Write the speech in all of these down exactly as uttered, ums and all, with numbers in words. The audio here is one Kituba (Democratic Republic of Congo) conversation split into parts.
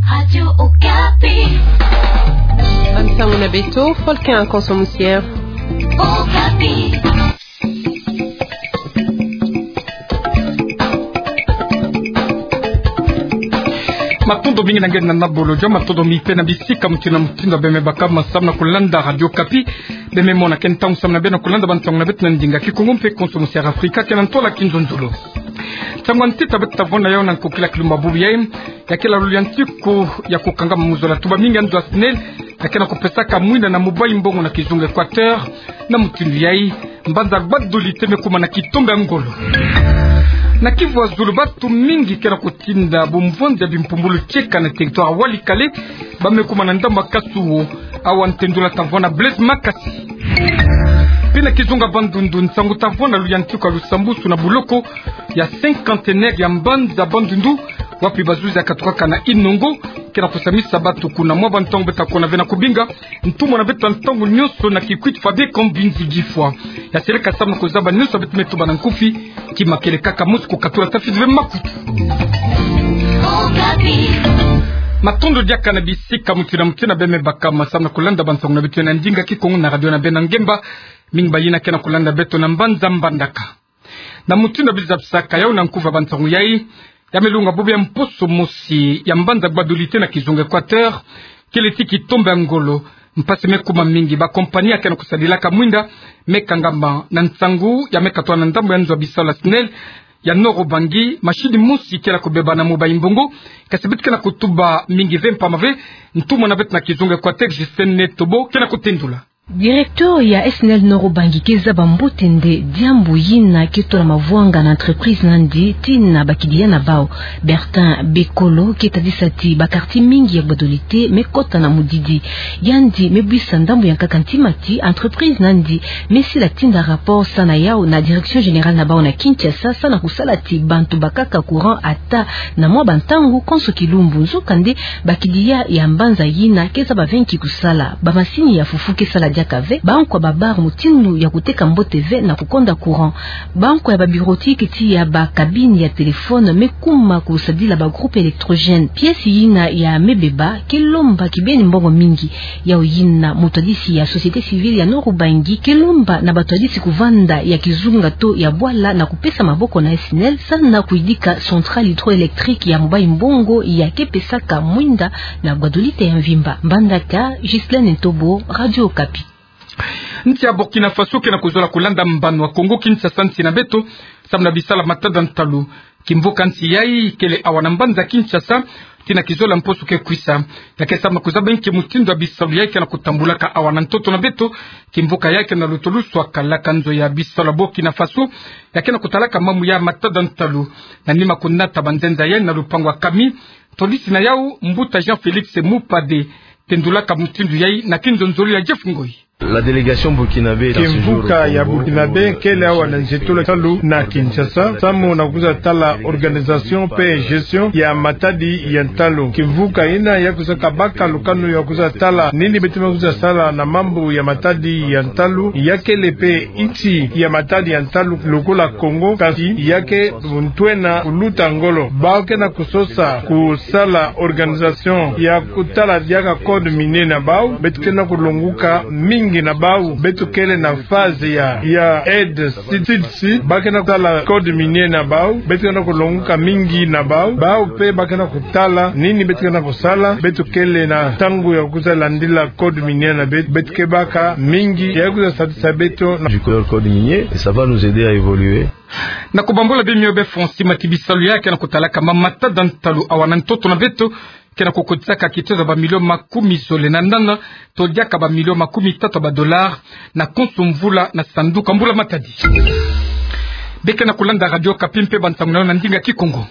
Radio Okapi. Bansango na beto, Volcan Konso Musier. Okapi. Matondo mingi na nge na nabolojo, matondo mingi pe na bisika mutindu na mutindu beme baka masamu na kulanda Radio Okapi. Beme mona ke ntangu samu na beno na kulanda bansango na beto na ndinga Kikongo mpe Konso Musier Afrika, ke na ntola kinzonzolo. Nsangu ntita beto tavona yau na nkokila kilumbu bubu yai, ya kele luliantiku ya kukanga muzola tuba mingi ya nzo ya SNEL, ya ke na kupesaka mwinda na mobayi mbongo na kizunga Equateur, na mutindu yai, mbanza Gbadolite me kuma na kitombe ya ngolo. Na Kivu ya Zulu batu mingi ke na kutinda bumvonzi ya bimpumbulu tieka na territoire Walikale, ba me kuma na ndambu ya Kasuo, awa ntendula tavona Blaise Makasi. Mpe na kizunga Bandundu, nsangu tavona luliantiku ya lusambusu na buloko ya cinquantenaire ya mbanza Bandundu, wapi bazuzi ya katukaka na Inongo, ke na kusamisa batu kuna. Mwa bantangu beto ta kona ve na kubinga ntumwa na beto ya ntangu nyonso na kikwit Fabien Kambinzi Gifwa. Ya seleka samu na kuzaba nyonso beto me tuba na nkufi, kima kele kaka mosi kukatula tafiti ve makutu. Matondo diaka na bisika mutindu na mutindu beme baka masamu na kulanda bansango na beto na ndinga Kikongo na radio na beno na ngemba, mingi bayina ke na kulanda beto na mbanza Mbandaka. Na mutindu ya bizapisaka yau na nkufi ya bansango yai, ya me lunga bubu ya mposo mosi ya mbanza Gbadolite na kizunga Equateur, kele ti kitombe ya ngolo, mpasi me kuma mingi, ba compagnie ya ke na kusadilaka mwinda me kangama. Na nsangu ya me katwa na ndambu ya nzo ya bisalu ya SNEL ya Nord-Ubangi, machine mosi kele kubeba na mobayi mbongo, kasi beto ke na kutuba mingi ve mpamba ve. Ntumwa na beto na kizunga Equateur, Justine Netobo, ke na kutendula. Directeur ya SNEL Nord-Ubangi ke zaba mbote nde diambu yina ke tola mavwanga na entreprise na yandi tii na bakidi ya na bau. Bertin Bekolo ke tadisa ti ba quartier mingi ya Gbadolite me kota na mudidi. Yandi me buisa ndambu ya nkaka ntima ti entreprise na yandi me sila tinda rapport sa na yau na direction générale na bau na Kinshasa, sa na kusala ti bantu bakaka courant ata na mwa bantangu konso kilumbu. Nzokande, bakidi ya ya mbanza yina ke zaba ve nki kusala. Ba masini ya fufu ke sala diaka ve. Bankwa ba bar mutindu ya kuteka mbote ve na kukonda courant. Bankwa ya ba bureautique tii ya ba cabine ya téléphone me kuma kusadila ba groupe électrogène. Pièce yina ya me beba ke lomba kibeni mbongo mingi. Yau yina mutwadisi ya société civile ya Nord-Ubangi ke lomba na batwadisi kuvanda ya kizunga to ya bwala na kupesa maboko na SNEL sa na kuyidika centrale hydroélectrique ya mobayi mbongo ya ke pesaka mwinda na Gbadolite ya mvimba. Mbandaka, Ghislaine Ntobo, Radio Okapi. Nsi ya Burkina Faso ke na kuzola kulanda mbano ya Kongo Kinshasa, nsi na beto, samu na bisalu ya matada ntalu. Kimvuka nsi yai kele awa na mbanza Kinshasa, tii na kizola mposo ke kwisa. Ya ke samu na kuzaba nki mutindu ya bisalu yai ke na kutambulaka awa na ntoto na beto. Kimvuka yai ke na lutolo swaka laka nzo ya bisalu ya Burkina Faso, ya ke na kutalaka mambu ya matada ntalu. Na nima kunata banzenza yai na lupangu ya Kami, tolisi na yau, mbuta Jean-Félix Mupade, tendulaka mutindu yai na kinzonzolo ya Jeff Ngoi. La délégation burkinabé est à ce jour au Congo. Kimvuka ya Burkinabe kele awa na nzietolo ya ntalu na Kinshasa, samu na kuza tala organisation mpe gestion ya matadi ya ntalu. Kimvuka yina ya kuza kabaka lukanu ya kuza tala nini beto me kuza sala na mambu ya matadi ya ntalu. Ya kele mpe nsi ya matadi ya ntalu lokola Congo, kasi ya ke ntwenia kuluta ngolo. Bau ke na kusosa kusala organisation ya kutala diaka code minier na bau, beto ke na kulonguka mingi na bau. Beto kele na phase ya, ya aide sud-sud, ba ke na kutala code minier na bau, beto ke na kulonguka mingi na bau. Bau mpe ba ke na kutala nini beto ke na kusala. Beto kele na ntangu ya kuza landila code minier na beto, beto ke baka mingi ya kuza sadisa beto na du code minier, et ça va nous aider à évoluer. Na kubambula bimio be Francis Mati, bisalu ya ke na kutalaka ma matada ntalu awa na ntoto na beto ke na kukotisaka kitezo ya ba milio makumi zole na nana, to diaka ba milio makumi tatu ya ba dollars, na konso mvula na sanduku ya mbula matadi. Be ke na kulanda Radio Okapi mpe bansangu na yo na ndinga Kikongo.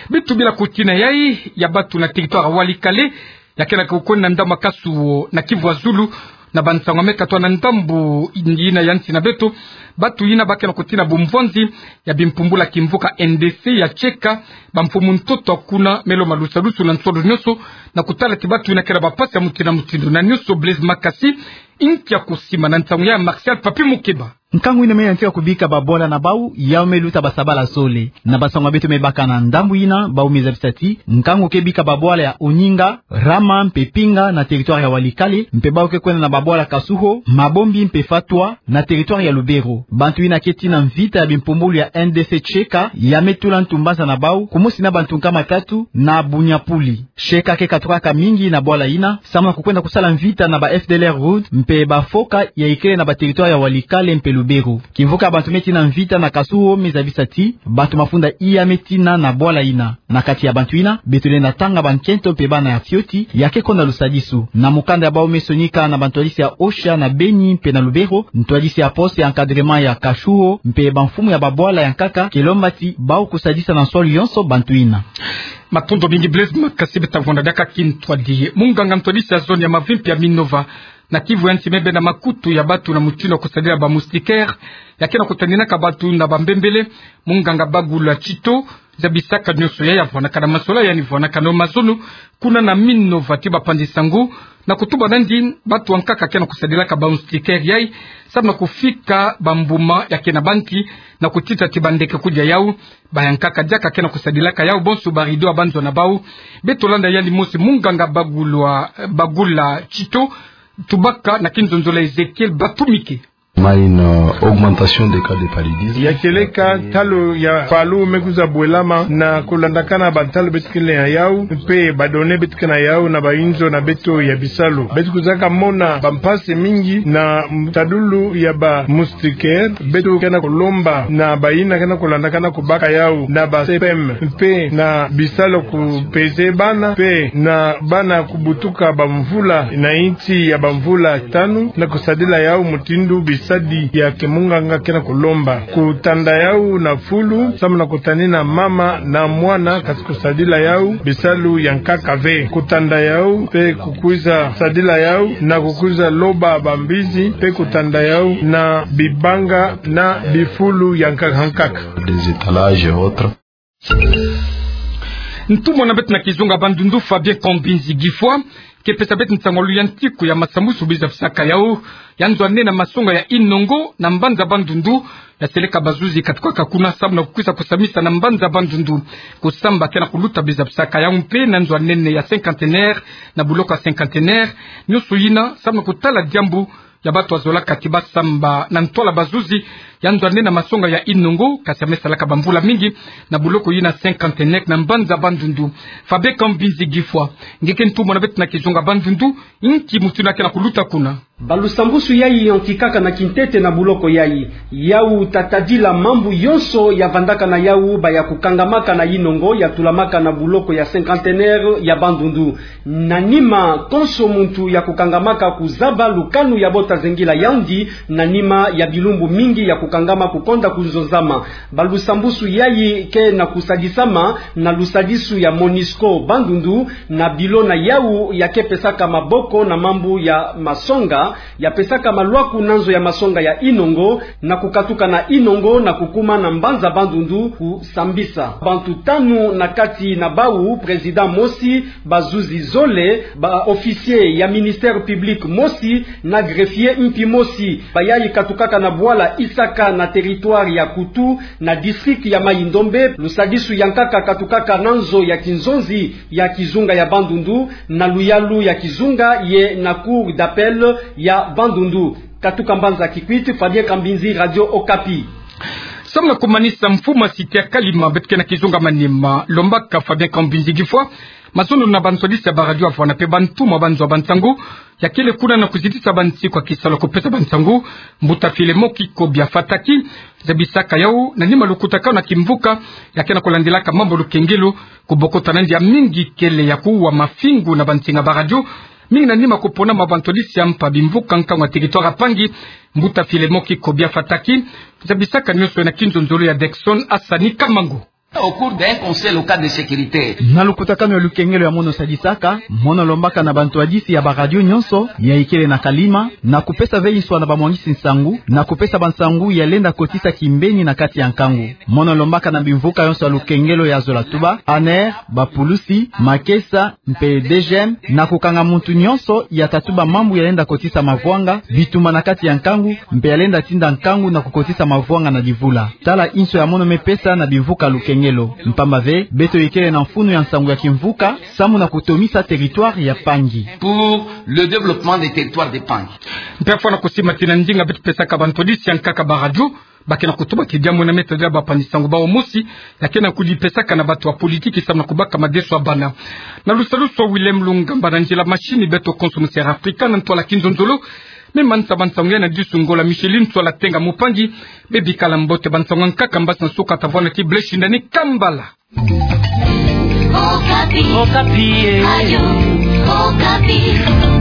Beto bila kutina yai ya batu na territoire ya Walikale, ya ke na kukwenda ndambu ya Kasuo na Kivu ya Zulu, na bansangu ya me katwa na ndambu yina ya nsi na beto, batu yina ba ke na kutina bumvwanzi ya bimpumbulu ya kimvuka N D C ya tieka bamfumu ntoto kuna, me lomba lusadusu na nsolo nyonso, na kutala ti batu yina kele na bampasi ya mutindu na mutindu. Na nyonso Blaise Makasi, inki ya kusima na nsangu ya Martial Papi Mukeba. Nkangu ina me yantika kubika babwala na bau, yau me luta basabala zole. Na bansangu ya beto me baka na ndambu ina, bau me zabisa ti nkangu ke bika babwala ya Oninga, Rama mpe Pinga na territoire ya Walikale, mpe bau ke kwenda na babwala Kasuho, Mabombi mpe Fatwa na territoire ya Lubero. Bantu ina ke tina mvita ya bimpumbulu ya N D C Cheka, ya me tula ntu mbanza na bau, kumosi na bantu nkama tatu na Bunyapuli. Cheka ke katukaka mingi na bwala ina, samu na kukwenda kusala mvita na ba F D L R Rhodes, mpe ba Foka ya ikele na ba territoire ya Walikale mpe Lubero. Kimvuka bantu me tina mvita na Kasuho me zabisa ti bantu mafunda iya me tina na bwala ina. Na kati ya bantu ina, beto lenda tanga bankento mpe bana ya fioti, ya ke konda lusadisu. Na mukanda ya bau me sonika na bantwadisi ya OSHA na Beni mpe na Lubero, ntwadisi ya poste ya encadrement ya Kasuho, mpe bamfumu ya babwala ya nkaka, ke lomba ti bau kusadisa na nswalu yonso bantu ina. Matondo mingi Blaise Makasi, beta vwanda diaka kintwadi. Munganga ntwadisi ya zone ya Mavimpi ya Minova na Kivu ya Nsi me benda makutu ya bantu na mutindu ya kusadila ba moustiquaire, ya ke na kutaninaka bantu na bambembele, munganga Bagula Tito, zabisaka nionso ya ya vwanakana mazola, yandi vwanakana mazono kuna na Minova ti bapanzi nsangu, na kutuba nandi bantu ya nkaka ke na kusadilaka ba moustiquaire yai, samu na kufika bambuma ya ke na banki, na kutita ti bandeke kudia yau, ba ya nkaka diaka ke na kusadilaka yau, bonso ba rideau ya banzo na bau. Beto landa yandi mosi munganga Bagula, Bagula Tito, tubaka na kinzonzolo ya Ezekiel Batumike. Ma une, euh, augmentation des cas de paludisme. Ya kieleka ntalo ya palu me kwiza bwelama na kulandakana bantalu beto ke na yau, mpe ba données beto ke na yau na ba inzo na beto ya bisalu. Beto kwizaka mona bampasi mingi na tadulu ya ba moustiquaire, beto ke na kulomba na bayina ke na kulandakana kubaka yau na ba C P M, mpe na bisalu kupeze bana, mpe na bana kubutuka bamvula na insi ya bamvula tanu, na kusadila yau mutindu bisadi ya kimunganga ke na kulomba. Kutanda yau na fulu, samu na kutanina mama na mwana, kasi kusadila yau bisalu ya nkaka ve. Kutanda yau, mpe kukwiza sadila yau, na kukwiza loba bambizi, mpe kutanda yau na bibanga na bifulu ya nkaka nkaka. Des étalages et autres. Ntumwa na beto na kizunga Bandundu, Fabien Kambinzi Gifwa, ke pesa beto nsangu ya luyantiku ya masambusu biza bisaka yau, ya nzo ya nene na masonga ya Inongo na mbanza Bandundu, ya seleka bazuzi katukaka kuna samu na kukwiza kusambisa na mbanza Bandundu. Kusamba ke na kuluta biza bisaka yau mpe na nzo ya nene ya Cinquantenaire, na buloko ya Cinquantenaire, nionso yina samu na kutala diambu ya bantu ya zolaka ti basamba na ntwala bazuzi, ya nzo ya nene na masonga ya Inongo, kasi ya me salaka bamvula mingi, na buloko yina Cinquantenaire na mbanza Bandundu. Fabien Kambinzi Gifwa, nge ke ntumwa na beto na kizunga Bandundu, inki mutindu ya ke na kuluta kuna? Ba lusambusu yai yantikaka na kintete na buloko yai. Yau ta tadila mambu yonso ya vandaka na yau, ba ya kukangamaka na Inongo, ya tulamaka na buloko ya Cinquantenaire ya Bandundu. Na nima, konso muntu ya kukangamaka kuzaba lukanu ya bo ta zengila yandi, na nima ya bilumbu mingi ya kukangama kukonda kunzonzama. Ba lusambusu yai ke na kusadisama na lusadisu ya Monusco Bandundu, na bilo na yau ya ke pesaka maboko na mambu ya masonga, ya pesaka malwaku na nzo ya masonga ya Inongo, na kukatuka na Inongo na kukuma na mbanza Bandundu kusambisa. Bantu tanu na kati na bau, président mosi, bazuzi zole, ba officier ya ministère public mosi, na greffier mpi mosi. Bayai katukaka na bwala Isaka na territoire ya Kutu, na district ya Mayi-Ndombe. Lusadisu ya nkaka katukaka na nzo ya kinzonzi ya kizunga ya Bandundu, na luyalu ya kizunga ye na cour d'appel ya Bandundu. Katuka mbanza Kikwit, Fabien Kambinzi, Radio Okapi. Samu na kumanisa, mfumu ya cité ya Kalima, beto ke na kizunga Maniema, lombaka Fabien Kambinzi Gifwa mazono na bantwadisi ya ba radio ya vwanda mpe bantumwa banzo ya bansangu, ya kele kuna na kuzitisa bansi kwa kisalu ya kupesa bansangu, mbuta Filemon Kikobia Fataki, zabisaka yau na nima lukutakanu na kimvuka ya ke na kulandilaka mambu ya lukengelo, kubokota nandi ya mingi kele ya kuwa mafingu na bansinga ba radio, mingi na nima kupona ma bantwadisi ya mpa bimvuka nkangu ya territoire ya Pangi, mbuta Filemon Kikobia Fataki, zabisaka nionso na kinzonzolo ya Dexon Asani Kamango. Au cours d'un conseil local de sécurité. Na lukutakanu ya lukengelo ya mono sadisaka, mono lombaka na bantwadisi ya baradio nyonso ya ikele na Kalima, na kupesa ve nswa na bamwangisi nsangu, na kupesa bansangu ya lenda kotisa kimbeni na kati ya nkangu. Mono lombaka na bimvuka yonso ya lukengelo ya zola tuba, ANR, bapulusi, makesa, mpe DGM, na kukanga muntu nyonso ya tatuba mambu ya lenda kotisa mavwanga, bitumba na kati ya nkangu, mpe ya lenda tinda nkangu na kukotisa mavwanga na divula. Tala inso ya mono me pesa na bimvuka lukengelo. Mpamba ve, beto ikele na mfunu ya nsangu ya kimvuka, samu na kutomisa territoire ya Pangi. Pour le développement des territoires de Pangi. Mpe afwa na kusimatila ndinga beto pesaka bantwadisi ya nkaka baradio, ba ke na kutuba kidia mwena meta dila bapani sangu bawu mosi, ya ke na kudipesaka na bato ya politiki samu na kubaka madeso ya bana. Na lusalusu ya Willem Lungamba na nzila machine, beto konso mu Sierra Africa na ntwala kinzonzolo, me manisa bansangu ya na disu ngolo Micheline Sola Tenga Mupangi, be bikala mbote bansangu ya nkaka mbasi na suka tavwana ti bleu shindani kambala. Okapi. Okapi, eh. Radio Okapi.